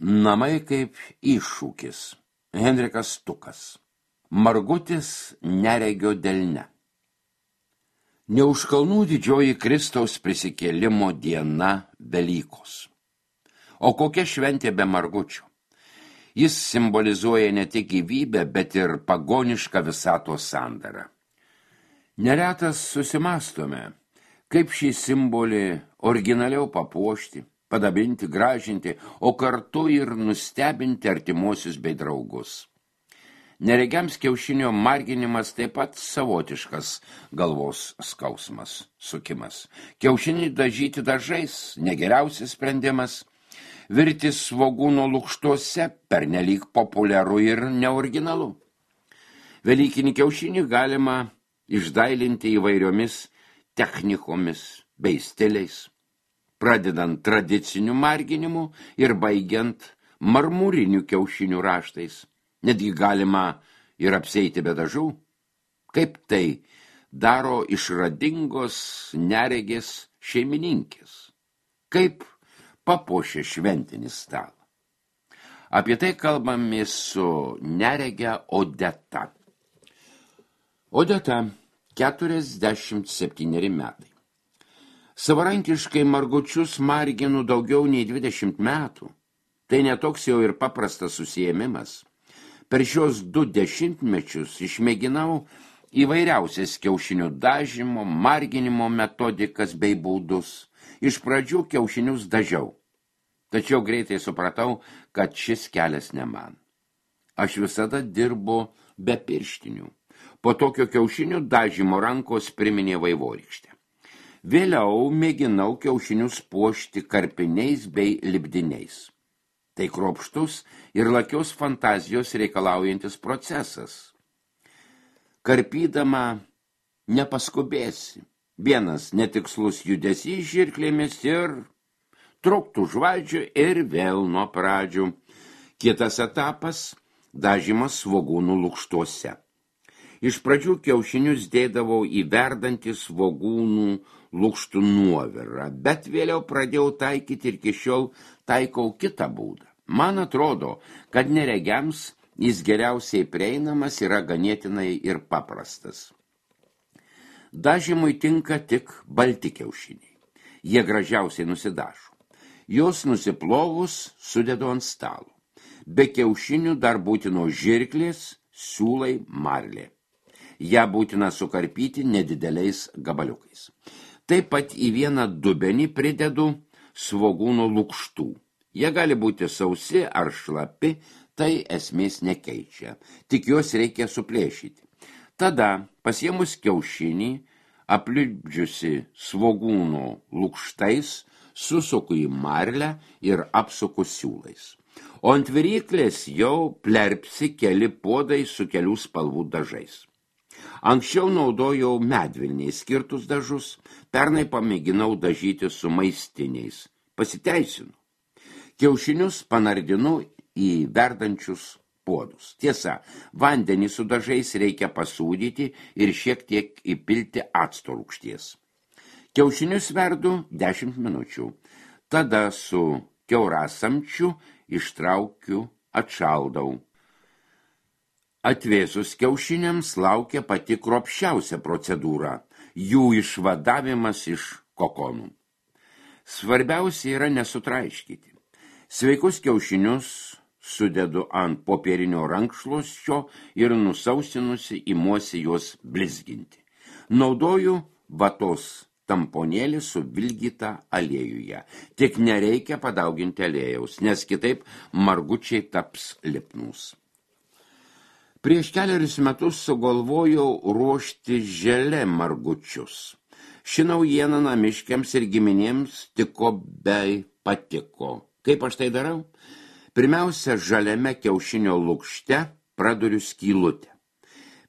Namai kaip iššūkis. Henrikas Stukas. Margutis neregio delne. Ne už kalnų didžioji Kristaus prisikėlimo diena Velykos. O kokia šventė be margučio? Jis simbolizuoja ne tik gyvybę, bet ir pagonišką visatos sandarą. Neretas susimastome, kaip šį simbolį originaliau papuošti, padabinti, gražinti, o kartu ir nustebinti artimuosius bei draugus. Neregiams kiaušinio marginimas taip pat savotiškas galvos skausmas, sukimas. Kiaušinį dažyti dažais negeriausias sprendimas. Virti svogūno lukštuose pernelyg populiaru ir neoriginalu. Velykinį kiaušinį galima išdailinti įvairiomis technikomis bei stiliais, pradedant tradiciniu marginimu ir baigiant marmurinių kiaušinių raštais. Netgi galima ir apseiti be dažų. Kaip tai daro išradingos neregės šeimininkės? Kaip papuošia šventinį stalą? Apie tai kalbamės su neregė Odeta. Odeta, 47 metai. Savarankiškai margučius marginu daugiau nei 20 metų. Tai netoks jau ir paprastas užsiėmimas. Per šios 2 dešimtmečius išmėginau įvairiausias kiaušinių dažymo, marginimo metodikas bei būdus. Iš pradžių kiaušinius dažiau, tačiau greitai supratau, kad šis kelias ne man. Aš visada dirbu be pirštinių. Po tokio kiaušinių dažymo rankos priminė vaivorykštę. Vėliau mėginau kiaušinius puošti karpiniais bei lipdiniais. Tai kruopštus ir lakios fantazijos reikalaujantis procesas. Karpydama nepaskubėsi. Vienas netikslus judesys žirklėmis ir truktų žvaidžių ir vėl nuo pradžių. Kitas etapas – dažymas svogūnų lukštuose. Iš pradžių kiaušinius dėdavau į verdantį svogūnų lukštų nuovirą, bet vėliau pradėjau taikyti ir iki šiol taikau kitą būdą. Man atrodo, kad neregiams jis geriausiai prieinamas yra ganėtinai ir paprastas. Dažymui tinka tik balti kiaušiniai. Jie gražiausiai nusidažo. Jos nusiplovus sudedu ant stalo. Be kiaušinių dar būtino žirklės, siūlai, marlė. Ja būtina sukarpyti nedideliais gabaliukais. Taip pat į vieną dubenį pridedu svogūno lukštų. Jie gali būti sausi ar šlapi, tai esmės nekeičia. Tik juos reikia suplėšyti. Tada, pasiėmus kiaušinį, aplipdžiusi svogūno lukštais, susuku į marlę ir apsuku siūlais. O ant viryklės jau plerpsi keli puodai su kelių spalvų dažais. Anksčiau naudojau medvilniai skirtus dažus, pernai pamėginau dažyti su maistiniais. Pasiteisinu. Kiaušinius panardinu į verdančius puodus. Tiesa, vandenį su dažais reikia pasūdyti ir šiek tiek įpilti acto rūgšties. Kiaušinius verdu 10 minučių. Tada su kiaurasamčiu ištraukiu, atšaldau. Atvėsus kiaušiniams laukia pati kruopščiausia procedūra – jų išvadavimas iš kokonų. Svarbiausia yra nesutraiškyti. Sveikus kiaušinius sudedu ant popierinio rankšluosčio ir nusausinusi imuosi juos blizginti. Naudoju vatos tamponėlį suvilgytą aliejuje. Tik nereikia padauginti aliejaus, nes kitaip margučiai taps lipnūs. Prieš kelerius metus sugalvojau ruošti želė margučius. Ši naujiena namiškiams ir giminėms tiko bei patiko. Kaip aš tai darau? Pirmiausia, žaliame kiaušinio lukšte praduriu skylutę.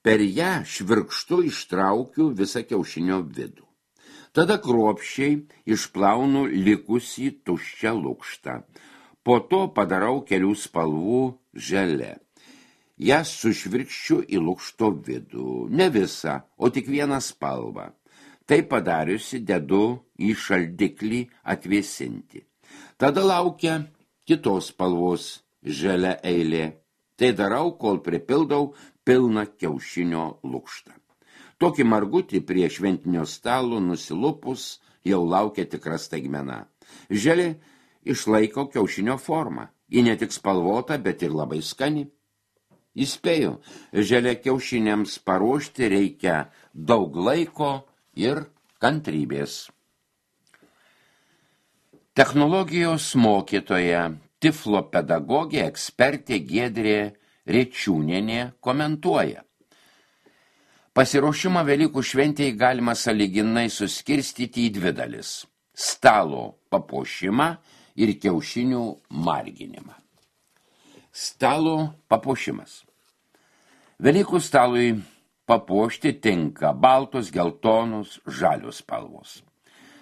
Per ją švirkštu ištraukiu visą kiaušinio vidų. Tada kruopščiai išplaunu likusį tuščią lukštą. Po to padarau kelių spalvų želė. Jas sušvirkščiu į lukšto vidų, ne visą, o tik vieną spalvą. Tai padariusi dedu į šaldiklį atvėsinti. Tada laukia kitos spalvos žalia eilė. Tai darau, kol pripildau pilną kiaušinio lukštą. Tokį margutį prie šventinio stalo nusilupus jau laukia tikra staigmena. Želė išlaiko kiaušinio formą. Ji ne tik spalvota, bet ir labai skani. Įspėju, želė kiaušiniams paruošti reikia daug laiko ir kantrybės. Technologijos mokytoja, tiflo pedagogė, ekspertė Giedrė Rečiūnienė komentuoja. Pasiruošimą Velykų šventėje galima sąlyginai suskirstyti į dvi dalis – stalo papuošimą ir kiaušinių marginimą. Stalo papuošimas. Velykų stalui papuošti tinka baltos, geltonos, žalios spalvos.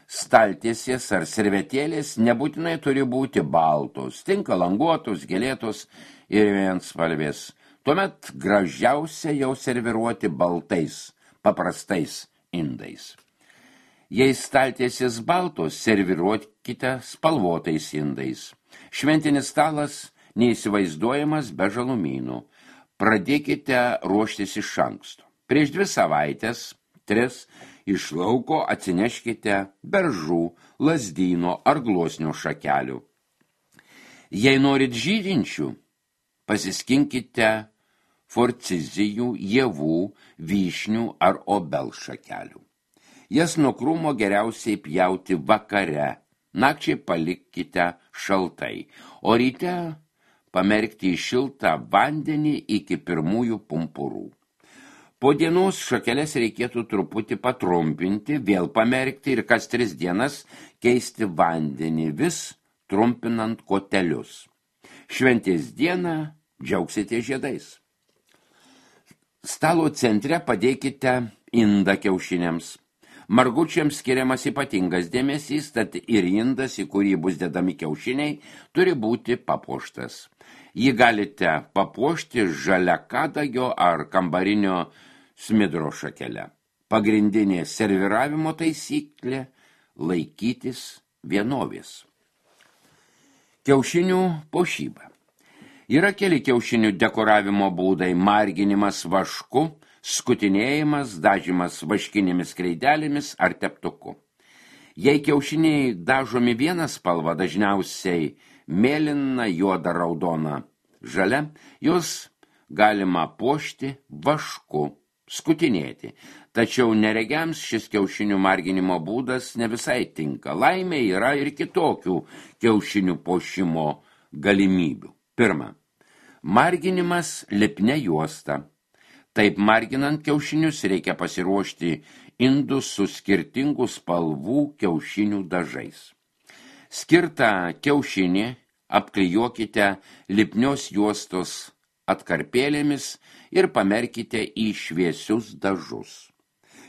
Staltiesės ar servetėlės nebūtinai turi būti baltos, tinka languotos, gėlėtos ir vienspalvės. Tuomet gražiausia jau serviruoti baltais, paprastais indais. Jei staltiesės baltos, serviruokite spalvotais indais. Šventinis stalas neįsivaizduojamas be žalumynų. Pradėkite ruoštis iš anksto. Prieš 2 savaites, 3, iš lauko atsineškite beržų, lazdyno ar gluosnio šakelių. Jei norit žydinčių, pasiskinkite forcizijų, javų, vyšnių ar obelšakelių. Jas nuo krūmo geriausiai pjauti vakare, nakčiai palikite šaltai, o ryte pamerkti į šiltą vandenį iki pirmųjų pumpurų. Po dienos šakeles reikėtų truputį patrumpinti, vėl pamerkti ir kas 3 dienas keisti vandenį, vis trumpinant kotelius. Šventės dieną džiaugsite žiedais. Stalo centre padėkite indą kiaušiniams. Margučiams skiriamas ypatingas dėmesys, tad ir indas, į kurį bus dedami kiaušiniai, turi būti papuoštas. Jį galite papuošti žalia kadagio ar kambarinio smidro šakele. Pagrindinė serviravimo taisyklė – laikytis vienovės. Kiaušinių puošyba. Yra keli kiaušinių dekoravimo būdai – marginimas vašku, skutinėjimas, dažymas vaškinėmis kreidelėmis ar teptuku. Jei kiaušiniai dažomi vieną spalvą, dažniausiai mėlyna, juoda, raudona, žalia, juos galima puošti vašku, skutinėti. Tačiau neregiams šis kiaušinių marginimo būdas ne visai tinka. Laimė yra ir kitokių kiaušinių puošimo galimybių. Pirma, marginimas lipnia juosta. Taip marginant kiaušinius reikia pasiruošti indus su skirtingų spalvų kiaušinių dažais. Skirtą kiaušinį apklijuokite lipnios juostos atkarpėlėmis ir pamerkite į šviesius dažus.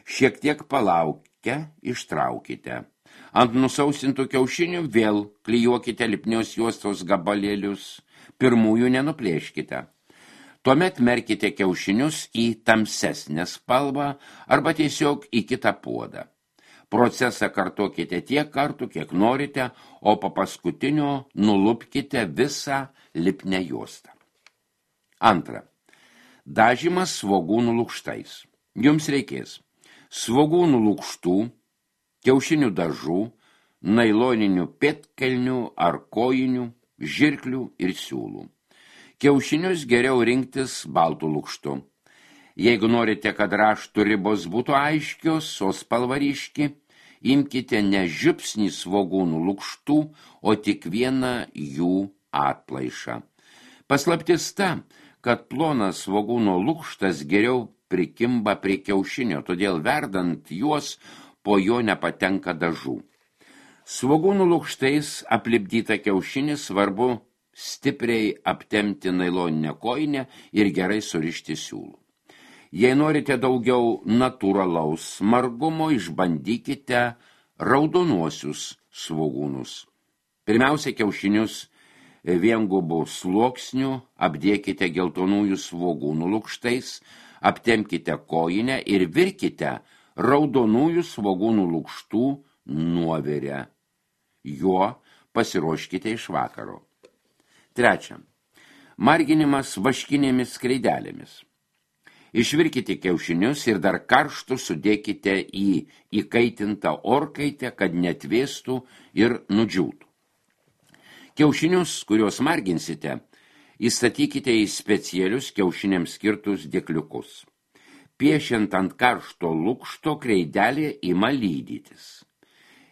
Šiek tiek palaukę ištraukite. Ant nusausintų kiaušinių vėl klijuokite lipnios juostos gabalėlius, pirmųjų nenuplėškite. Tuomet merkite kiaušinius į tamsesnę spalvą arba tiesiog į kitą puodą. Procesą kartokite tiek kartų, kiek norite, o po paskutinio nulupkite visą lipnią juostą. Antra. Dažymas svogūnų lukštais. Jums reikės svogūnų lukštų, kiaušinių dažų, nailoninių pėdkelnių ar kojinių, žirklių ir siūlų. Kiaušinius geriau rinktis baltų lukštų. Jeigu norite, kad raštų ribos būtų aiškios, o spalva ryški, imkite ne žiupsnį svogūnų lukštų, o tik vieną jų atplaišą. Paslaptis ta, kad plonas svogūno lukštas geriau prikimba prie kiaušinio, todėl verdant juos po jo nepatenka dažų. Svogūnų lukštais aplipdytą kiaušinį svarbu stipriai aptempti nailoninę kojinę ir gerai surišti siūlų. Jei norite daugiau natūralaus margumo, išbandykite raudonuosius svogūnus. Pirmiausia, kiaušinius viengubų sluoksnių apdėkite geltonųjų svogūnų lukštais, aptempkite kojinę ir virkite raudonųjų svogūnų lukštų nuovirę. Juo pasiruoškite iš vakaro. Trečia. Marginimas vaškinėmis skreidelėmis. Išvirkite kiaušinius ir dar karštų sudėkite į įkaitintą orkaitę, kad netvėstų ir nudžiūtų. Kiaušinius, kuriuos marginsite, įstatykite į specialius kiaušiniams skirtus dėkliukus. Piešiant ant karšto lukšto kreidelė ima lydytis.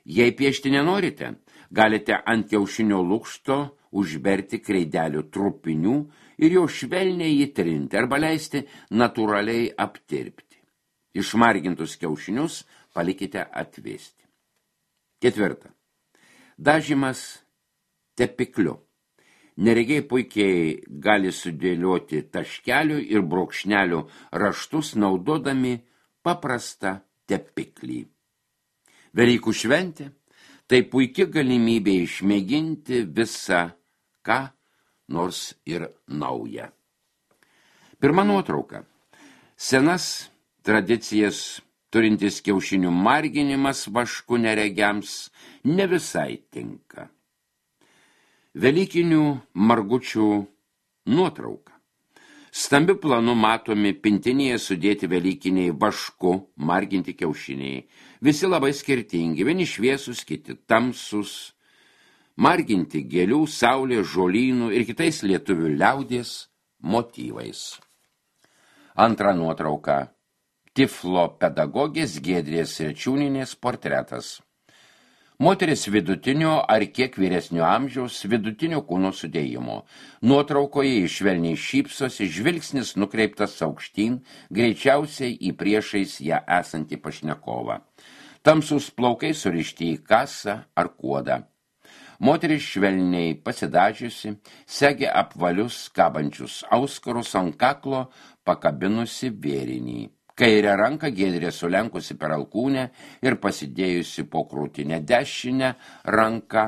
Jei piešti nenorite, galite ant kiaušinio lukšto užberti kreidelių trupinių ir jau švelniai įtrinti arba leisti natūraliai aptirpti. Išmargintus kiaušinius palikite atvėsti. Ketvirta. Dažymas tepikliu. Neregiai puikiai gali sudėlioti taškelių ir brūkšnelių raštus naudodami paprastą tepiklį. Velykų šventė tai puiki galimybė išmėginti visą ką nors ir naują. Pirma nuotrauka. Senas tradicijas turintis kiaušinių marginimas vašku neregiams ne visai tinka. Velykinių margučių nuotrauka. Stambiu planu matomi pintinėje sudėti velykiniai vašku marginti kiaušiniai. Visi labai skirtingi, vieni šviesus, kiti tamsus. Marginti gėlių, saulės, žolynų ir kitais lietuvių liaudies motyvais. Antra nuotrauka. Tiflo pedagogės Giedrės Rečiūnienės portretas. Moteris vidutinio ar kiek vyresnio amžiaus, vidutinio kūno sudėjimo. Nuotraukoje švelniai šypsosi, žvilgsnis nukreiptas aukštyn, greičiausiai į priešais ją esantį pašnekovą. Tamsus plaukai surišti į kasą ar kuodą. Moteris švelniai pasidažiusi, segė apvalius kabančius auskarus ant kaklo, pakabinusi vėrinį. Kairę ranką Giedrė sulenkusi per alkūnę ir pasidėjusi po krūtinę, dešinę ranką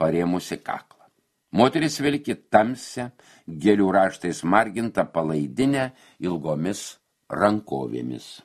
parėmusi kaklą. Moteris vilki tamsią, gėlių raštais margintą palaidinę ilgomis rankovėmis.